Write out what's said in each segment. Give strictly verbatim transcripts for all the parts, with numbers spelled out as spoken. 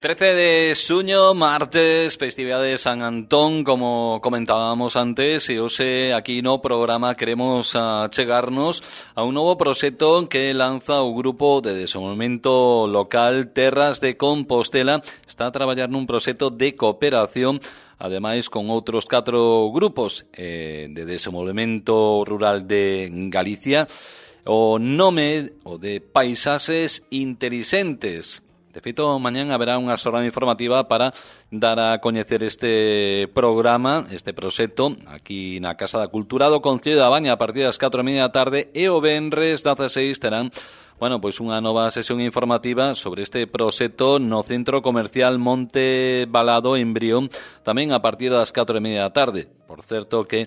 trece de xuño, martes, festividade de San Antón, como comentábamos antes, e hoxe aquí no programa queremos achegarnos a un novo proxecto que lanza o Grupo de Desenvolvemento Local Terras de Compostela. Está a traballar nun proxecto de cooperación, ademais con outros catro grupos eh, de desenvolvemento rural de Galicia. O nome o de Paisaxes Intelixentes. De feito, mañán haberá unha xornada informativa para dar a coñecer este programa, este proxecto, aquí na Casa da Cultura do Concello da Baña a partir das catro e media da tarde, e o venres dezaseis terán, bueno, pois unha nova sesión informativa sobre este proxecto no Centro Comercial Monte Balado en Brión, tamén a partir das catro e media da tarde. Por certo que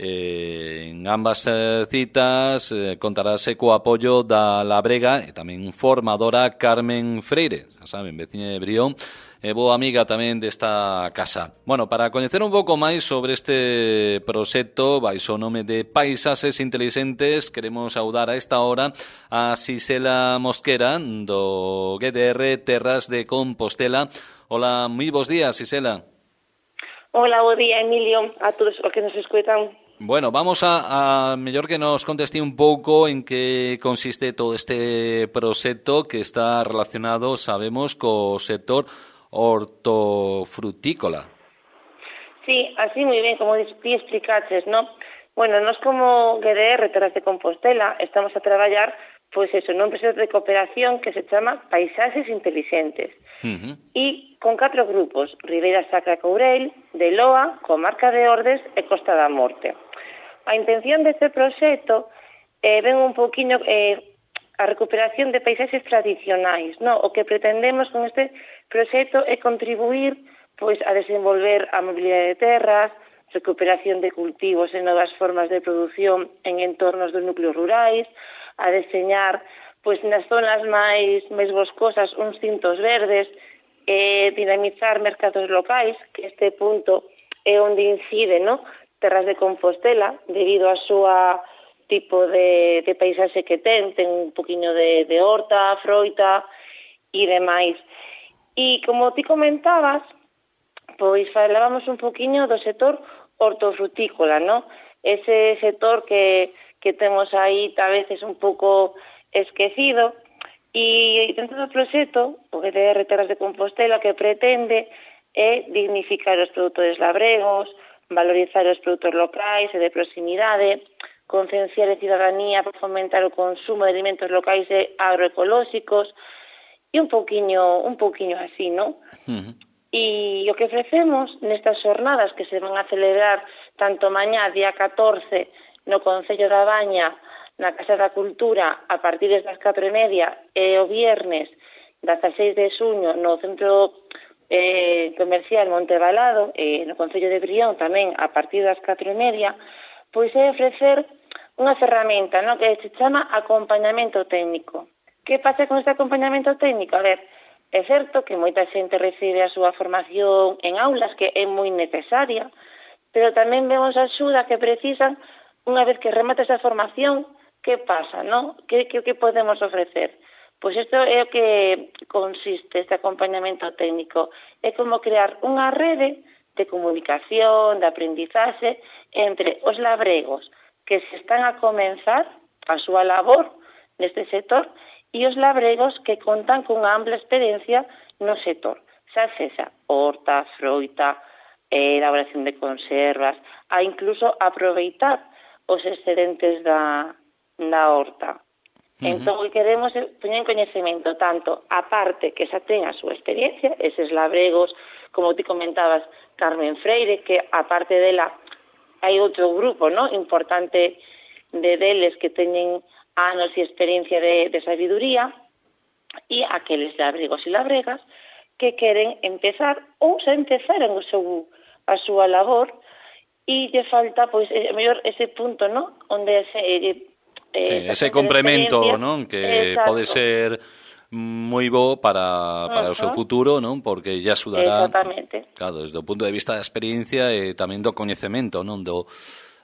Eh, en ambas eh, citas eh, contarase co apoio da Labrega e tamén formadora Carmen Freire, xa saben, veciña de Brión e boa amiga tamén desta casa. Bueno, para coñecer un pouco máis sobre este proxecto baixo o nome de Paisaxes Intelixentes, queremos saudar a esta hora a Xisela Mosquera do G D R Terras de Compostela. Hola, moi bons días, Xisela. Hola, bo día, Emilio, a todos os que nos escutan. Bueno, vamos a, a mellor que nos conteste un pouco en que consiste todo este proxecto que está relacionado, sabemos, co sector hortofrutícola. Sí, así moi ben, como ti explicaches, ¿no? Bueno, nós como G D R Terras de Compostela estamos a traballar, pois eso, nun proxecto de cooperación que se chama Paisaxes Intelixentes. Uh-huh. E con catro grupos, Ribeira Sacra Courel, de Loa, Comarca de Ordes e Costa da Morte. A intención deste proxecto eh, ven un poquinho eh, a recuperación de paisaxes tradicionais, no? O que pretendemos con este proxecto é contribuir pois a desenvolver a mobilidade de terras, recuperación de cultivos e novas formas de produción en entornos dos núcleos rurais, a deseñar pois nas zonas máis, máis boscosas uns cintos verdes, e dinamizar mercados locais, que este punto é onde incide, no? Terras de Compostela, debido a súa tipo de, de paisaxe que ten, ten un poquinho de, de horta, froita e demais. E como ti comentabas, pois falábamos un poquinho do sector hortofrutícola, no? Ese sector que, que temos aí a veces un pouco esquecido, e dentro do proxecto, o G D R Terras de Compostela, que pretende é dignificar os produtores labregos, valorizar os produtos locais e de proximidade, concienciar a cidadanía para fomentar o consumo de alimentos locais e agroecolóxicos, e un pouquiño, un pouquiño así, non? Uh-huh. E o que ofrecemos nestas xornadas que se van a celebrar tanto mañá, día catorce, no Concello da Baña, na Casa da Cultura, a partir das catro e media, e o viernes, dezaseis de xuño, no Centro eh, Comercial Monte Balado, e no Concello de Brión tamén, a partir das catro e media, pois é ofrecer unha ferramenta, no? Que se chama acompañamento técnico. Que pasa con este acompañamento técnico? A ver, é certo que moita xente recibe a súa formación en aulas, que é moi necesaria, pero tamén vemos a axuda que precisan unha vez que remata esa formación. Que pasa, no? Que, que, que podemos ofrecer? Pois isto é o que consiste este acompañamento técnico. É como crear unha rede de comunicación, de aprendizaxe entre os labregos que se están a comenzar a súa labor neste sector e os labregos que contan cunha ampla experiencia no sector. Xa sexa horta, froita, eh, elaboración de conservas, a incluso aproveitar os excedentes da, da horta. Uh-huh. Entón, queremos poñer en coñecemento tanto a parte que xa ten a súa experiencia, eses labregos, como ti comentabas, Carmen Freire, que a parte dela hai outro grupo, no, importante de deles que teñen anos e experiencia de, de sabiduría, e aqueles labregos e labregas que queren empezar ou xa empezaron o seu, a súa labor, e lle falta, pois, é mellor ese punto, no, onde se... Eh, sí, ese complemento, non? Que exacto, pode ser moi bo para, para uh-huh, o seu futuro, non? Porque lle axudará, claro, desde o punto de vista da experiencia e tamén do coñecemento, non? Do,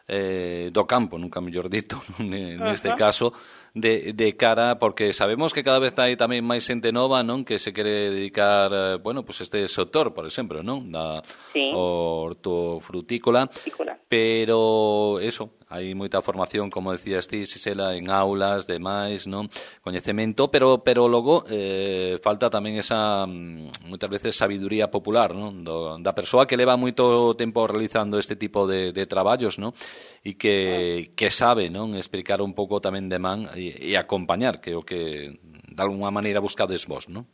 eh, do campo, nunca mellor dito, neste uh-huh, caso, de, de cara, porque sabemos que cada vez hai tamén máis xente nova, non, que se quere dedicar, eh, bueno, pues este sector, por exemplo, non, da sí. hortofrutícola, Frutícola. pero eso, hai moita formación, como decías ti, Xisela, en aulas, demais, non, coñecemento, pero pero logo eh, falta tamén esa, moitas veces, sabiduría popular, non, do, da persoa que leva moito tempo realizando este tipo de, de traballos, non, e que, que sabe, non, explicar un pouco tamén de man e, e acompañar, que é o que de alguna maneira buscades vos, non?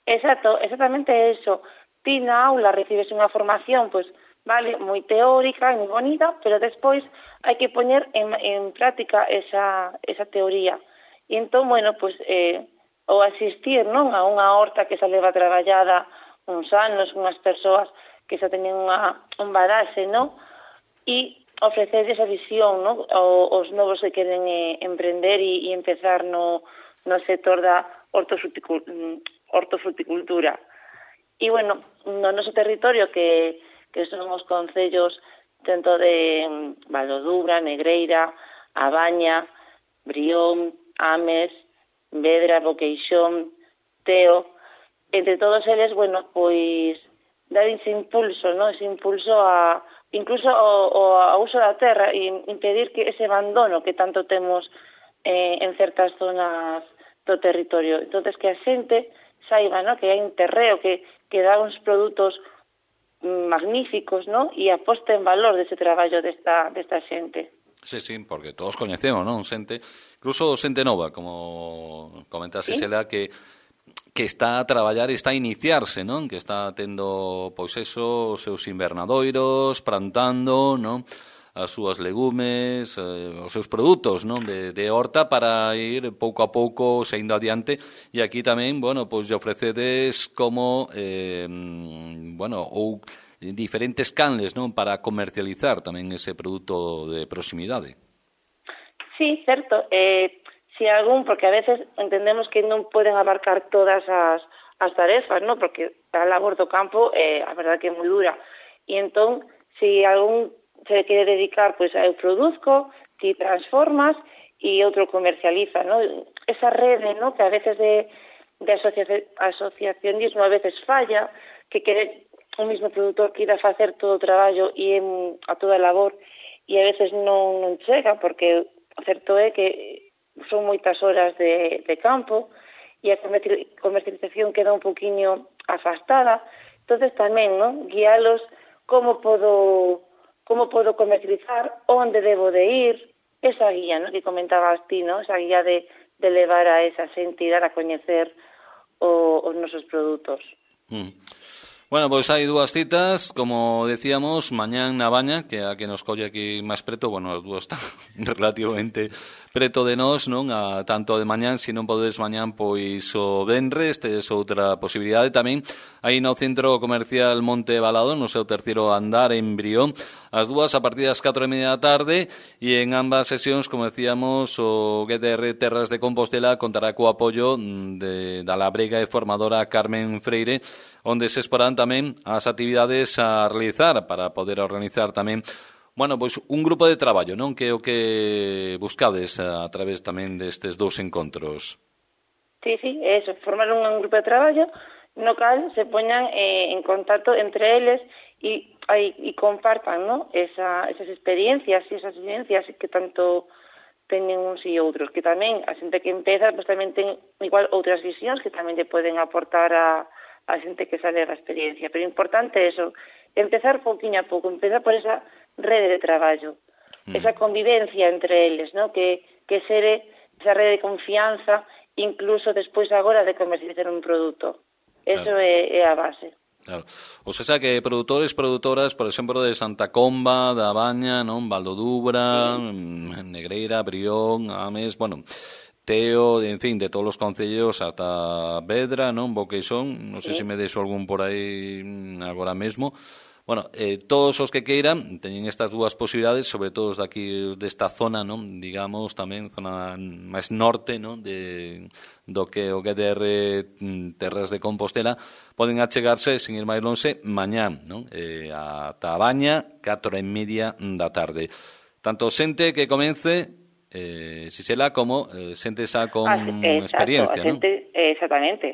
Exacto, exactamente eso. Ti na aula recibes unha formación, pois, vale, moi teórica e moi bonita, pero despois hai que poñer en, en práctica esa, esa teoría. E entón, bueno, pois, eh, o asistir, non, a unha horta que xa leva traballada uns anos, unhas persoas que xa teñen unha, un badaxe, non? E ofrecer esa visión, non? O, os novos que queren eh, emprender e, e empezar no, no sector da hortofruticultura. E, bueno, no noso territorio, que, que son os concellos tanto de Valdodubra, Negreira, A Baña, Brión, Ames, Vedra, Boqueixón, Teo, entre todos eles, bueno, pois dar ese impulso, ¿no? Ese impulso a incluso ao, ao uso da terra e impedir que ese abandono que tanto temos eh, en certas zonas do territorio. Entonces, que a xente saiba, ¿no? Que hai un terreo que, que dá uns produtos magníficos, ¿no? E aposta en valor dese traballo desta, desta xente. Sí, sí, porque todos coñecemos, non? Xente, incluso xente nova, como comentase, ¿sí? Xela, que que está a traballar e está a iniciarse, non? Que está tendo, pois eso, os seus invernadoiros, plantando, non? As súas legumes, eh, os seus produtos, non, de, de horta para ir pouco a pouco saindo adiante, e aquí tamén, bueno, pois lle ofrecedes como eh, bueno, ou diferentes canles, non, para comercializar tamén ese produto de proximidade. Sí, certo. Eh, si algún, porque a veces entendemos que non poden abarcar todas as, as tarefas, non, porque a labor do campo, eh, a verdade que é moi dura. E entón, si algún se quere dedicar, pois, pues, eu produzco, ti transformas e outro comercializa, ¿no? Esa rede, ¿no? Que a veces de, de asocia- asociacionismo a veces falla, que quere un mismo produtor que irá facer todo o traballo e en, a toda a labor, e a veces non, non chega, porque o certo é que son moitas horas de, de campo e a comercialización queda un poquinho afastada. Entonces tamén, ¿no? Guialos como podo como podo comercializar, onde debo de ir, esa guía, ¿no? Que comentabas ti, ¿no? Esa guía de, de levar a esa xente e dar a coñecer o, os nosos produtos. Mm. Bueno, pois hai dúas citas, como decíamos, mañán na Baña, que é a que nos colle aquí máis preto, bueno, as dúas están relativamente preto de nós, non? A tanto de mañán, se non podedes mañán, pois o venres, tedes outra posibilidade tamén, aí no Centro Comercial Monte Balado, no seu terceiro andar en Brión, as dúas a partir das catro e media da tarde, e en ambas sesións, como decíamos, o G D R Terras de Compostela contará co apoio de, da labrega e formadora Carmen Freire, onde se exporán tamén as actividades a realizar para poder organizar tamén, bueno, pois un grupo de traballo, non? Que é o que buscades a través tamén destes dous encontros. Sí, sí, eso, formar un, un grupo de traballo no cal se poñan eh, en contacto entre eles e, e compartan, ¿no? Esa, esas experiencias e esas vivencias que tanto teñen uns e outros, que tamén a xente que empeza, pues, tamén ten igual outras visións que tamén lle poden aportar a a xente que sale da experiencia. Pero importante é eso, empezar pouquinho a pouco, empezar por esa rede de traballo, mm. esa convivencia entre eles, ¿no? Que, que sere esa rede de confianza, incluso despois agora de comercializar un produto. Eso claro. é, é a base. Claro. O sea que produtores, produtoras, por exemplo, de Santa Comba, da Baña, non? Valdodubra, sí. Negreira, Brión, Ames, bueno, Teo, en fin, de todos os concellos ata Vedra, non? Boqueixón, non sei sí. se me deixo algún por aí agora mesmo. Bueno, eh, todos os que queiran teñen estas dúas posibilidades, sobre todo os daqui desta zona, non? Digamos, tamén zona máis norte, non? De, do que o G D R Terras de Compostela, poden achegarse, sin ir máis lonxe, mañán, non? Eh, ata a Baña, catro e media da tarde. Tanto xente que comence eh, Xisela, como eh, xente xa con as, exacto, experiencia, non? Xente, exactamente.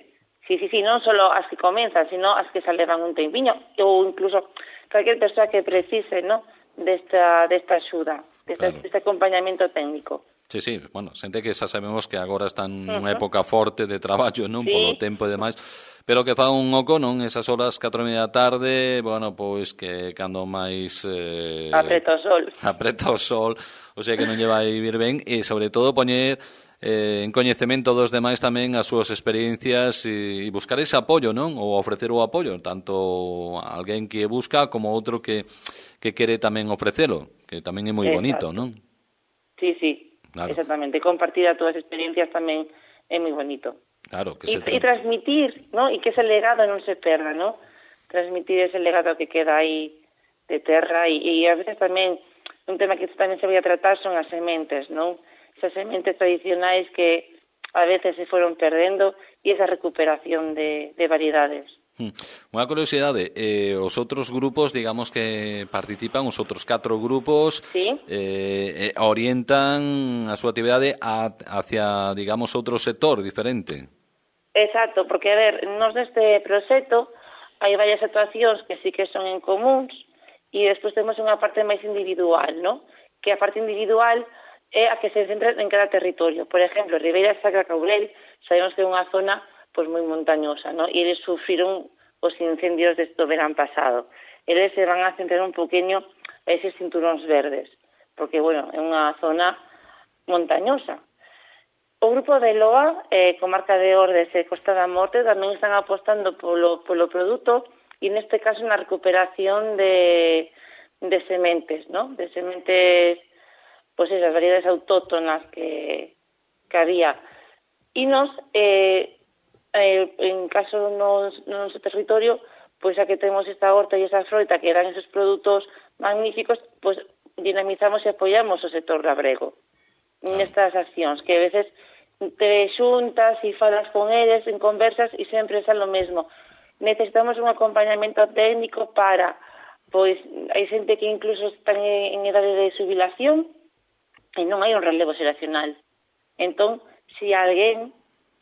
Sí, sí, sí, non só as que comenzan, sino as que xa levan un tempiño, ou incluso calquer persoa que precise, ¿no?, desta, desta axuda, desta, claro. deste acompañamento técnico. Sí, sí, bueno, xente que xa sabemos que agora están nunha uh -huh. época forte de traballo, non, sí. polo tempo e demais, pero que fa un oco, non, esas horas catro e media da tarde, bueno, pois que cando máis... Eh, apreta o sol. Apreta o sol, o sea que non lle vai vir ben, e sobre todo poñer eh, en coñecemento dos demais tamén as súas experiencias e, e buscar ese apoio, non, ou ofrecer o apoio, tanto a alguén que busca como outro que, que quere tamén ofrecelo, que tamén é moi Exacto. bonito, non? Sí, sí. Claro. Exactamente, compartir a todas as experiencias tamén é moi bonito. Claro, que e, se e transmitir, ¿no? E que ese legado non se perda, ¿no? Transmitir ese legado que queda aí de terra e, e a veces tamén un tema que tamén se vai a tratar son as sementes, ¿no? Esas sementes tradicionais que a veces se foron perdendo e esa recuperación de, de variedades. Unha curiosidade, eh, os outros grupos, digamos que participan, os outros catro grupos, ¿sí? eh, orientan a súa actividade a, hacia, digamos, outro sector diferente. Exacto, porque, a ver, nos neste proxecto hai varias actuacións que sí que son en comuns e despois temos unha parte máis individual, ¿no? Que a parte individual é a que se centra en cada territorio. Por exemplo, Ribeira Sacra Caurel, sabemos que é unha zona pois moi montañosa, ¿no? E eles sufriron os incendios do verán pasado. Eles se van a centrar un poquinho a eses cinturóns verdes, porque, bueno, é unha zona montañosa. O grupo de Loa, eh, comarca de Ordes e Costa da Morte, tamén están apostando polo, polo produto e neste caso na recuperación de, de sementes, ¿no? De sementes, pois esas variedades autóctonas que, que había. E nos, eh, eh, en caso no, no noso territorio, pois a que temos esta horta e esa froita que dan esos produtos magníficos, pois dinamizamos e apoiamos o sector labrego nestas accións, que a veces te xuntas e falas con eles en conversas e sempre é lo mesmo. Necesitamos un acompañamento técnico para, pois, hai xente que incluso están en idade de xubilación e non hai un relevo xeracional. Entón, se alguén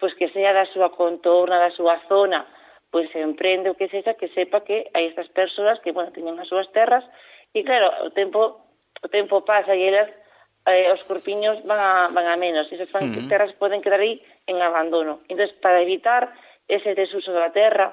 pois que sea da súa contorna, da súa zona, pois se emprende o que sexa, que sepa que hai estas persoas que, bueno, teñen as súas terras, e claro, o tempo o tempo pasa e elas, eh, os corpiños van a, van a menos, e esas uh -huh. terras poden quedar aí en abandono. Entón, para evitar ese desuso da terra,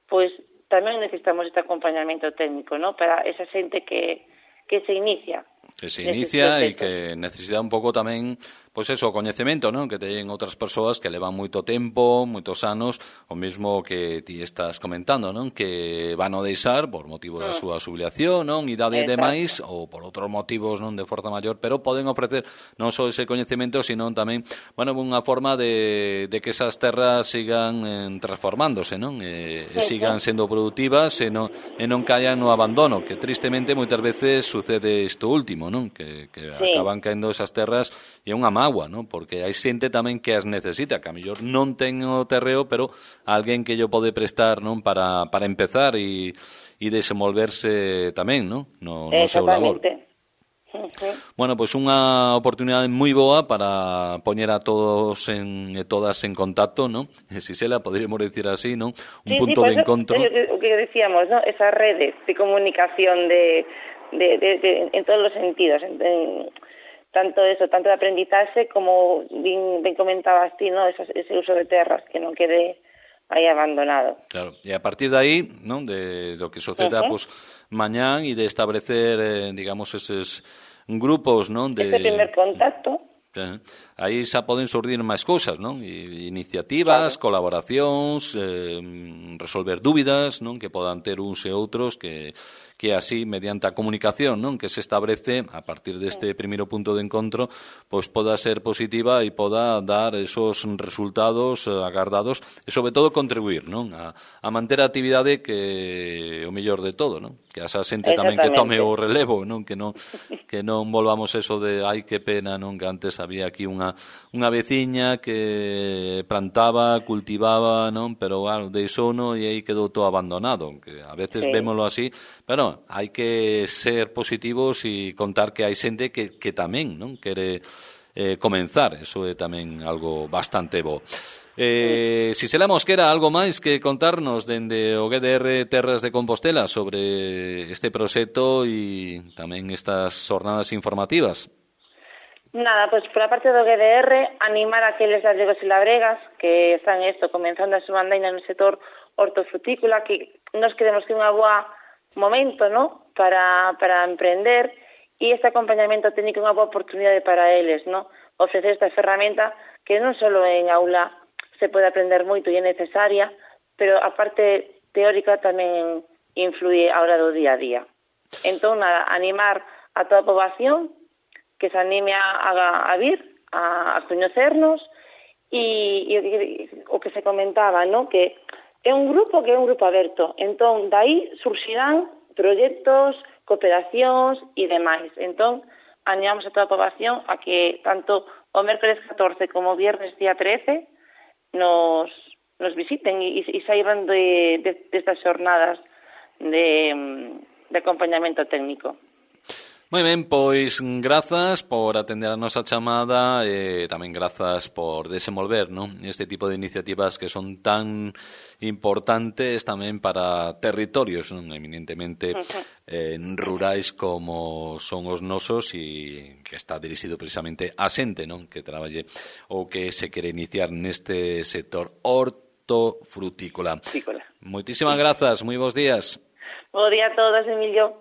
pois tamén necesitamos este acompañamento técnico, ¿no? Para esa xente que, que se inicia. Que se inicia e que necesita un pouco tamén, pois eso, o coñecemento, non? Que teñen outras persoas que levan moito tempo, moitos anos, o mesmo que ti estás comentando, non? Que van a deixar por motivo da súa xubilación, non? Idade de máis, ou por outros motivos, non? De forza maior, pero poden ofrecer non só ese coñecemento, sino tamén, bueno, unha forma de, de que esas terras sigan eh, transformándose, non? E, e sigan sendo productivas e non, e non caian no abandono, que tristemente moitas veces sucede isto último, non? Que, que sí. acaban caendo esas terras e é unha magua, non? Porque hai xente tamén que as necesita, que a mellor non ten o terreo, pero alguén que yo pode prestar, non? Para, para empezar e, e desenvolverse tamén, non? No, no seu labor. Uh-huh. Bueno, pois pues unha oportunidade moi boa para poñer a todos en, e todas en contacto, non? Xisela, poderíamos decir así, non? Un sí, punto sí, de encontro. O que decíamos, ¿no? Esas redes de comunicación de, de, de, de, en todos los sentidos, en, en, tanto eso, tanto de aprendizaje como ben, ben comentabas ti, ¿no? Ese, ese uso de terras, que non quede aí abandonado. Claro, e a partir de aí, ¿no? De lo que suceda, uh-huh. pues, mañán e de establecer, eh, digamos, eses grupos, ¿no? De... Ese primer contacto. Eh, aí xa poden surdir máis cousas, non? E iniciativas, claro. Colaboracións, eh, resolver dúbidas, non? Que podan ter uns e outros que que así, mediante a comunicación, non? Que se establece a partir deste primeiro punto de encontro, pois poda ser positiva e poda dar esos resultados agardados e, sobre todo, contribuir, non? A, a manter a actividade que o mellor de todo, non? Que asa xente tamén que tome o relevo, non? Que non que non volvamos eso de ai que pena, non? Que antes había aquí unha unha veciña que plantaba, cultivaba, non? Pero, claro, deixou no e aí quedou todo abandonado, que a veces sí. Vémolo así, pero hai que ser positivos e contar que hai xente que, que tamén, non? Quere eh, comenzar. Eso é tamén algo bastante bo. Eh, si se la Mosquera, algo máis que contarnos dende o G D R Terras de Compostela sobre este proxecto e tamén estas jornadas informativas? Nada, pois pues, por a parte do G D R, animar a aqueles labregos e labregas que están isto, comenzando a súa andaina no sector hortofrutícola, que nos queremos que é unha boa momento, ¿no?, para, para emprender, e este acompañamento técnico é unha boa oportunidade para eles, ¿no?, ofrecer esta ferramenta que non só en aula se pode aprender moito e é necesaria, pero a parte teórica tamén influye a hora do día a día. Entón, nada, animar a toda a poboación que se anime a, a, a vir, a, a coñecernos, e, e o que se comentaba, ¿no?, que é un grupo que é un grupo aberto. Entón, dai surxirán proxectos, cooperacións e demais. Entón, animamos a toda a poboación a que tanto o mércoles catorce como o viernes día trece nos, nos visiten e, e saiban de, de, de estas xornadas de, de acompañamento técnico. Moi ben, pois grazas por atender a nosa chamada e tamén grazas por desenvolver, non, este tipo de iniciativas que son tan importantes tamén para territorios, non, eminentemente eh, rurais como son os nosos e que está dirixido precisamente a xente, non, que traballe ou que se quere iniciar neste sector hortofrutícola. Moitísimas grazas, moi bons días. Bo día a todos, Emilio.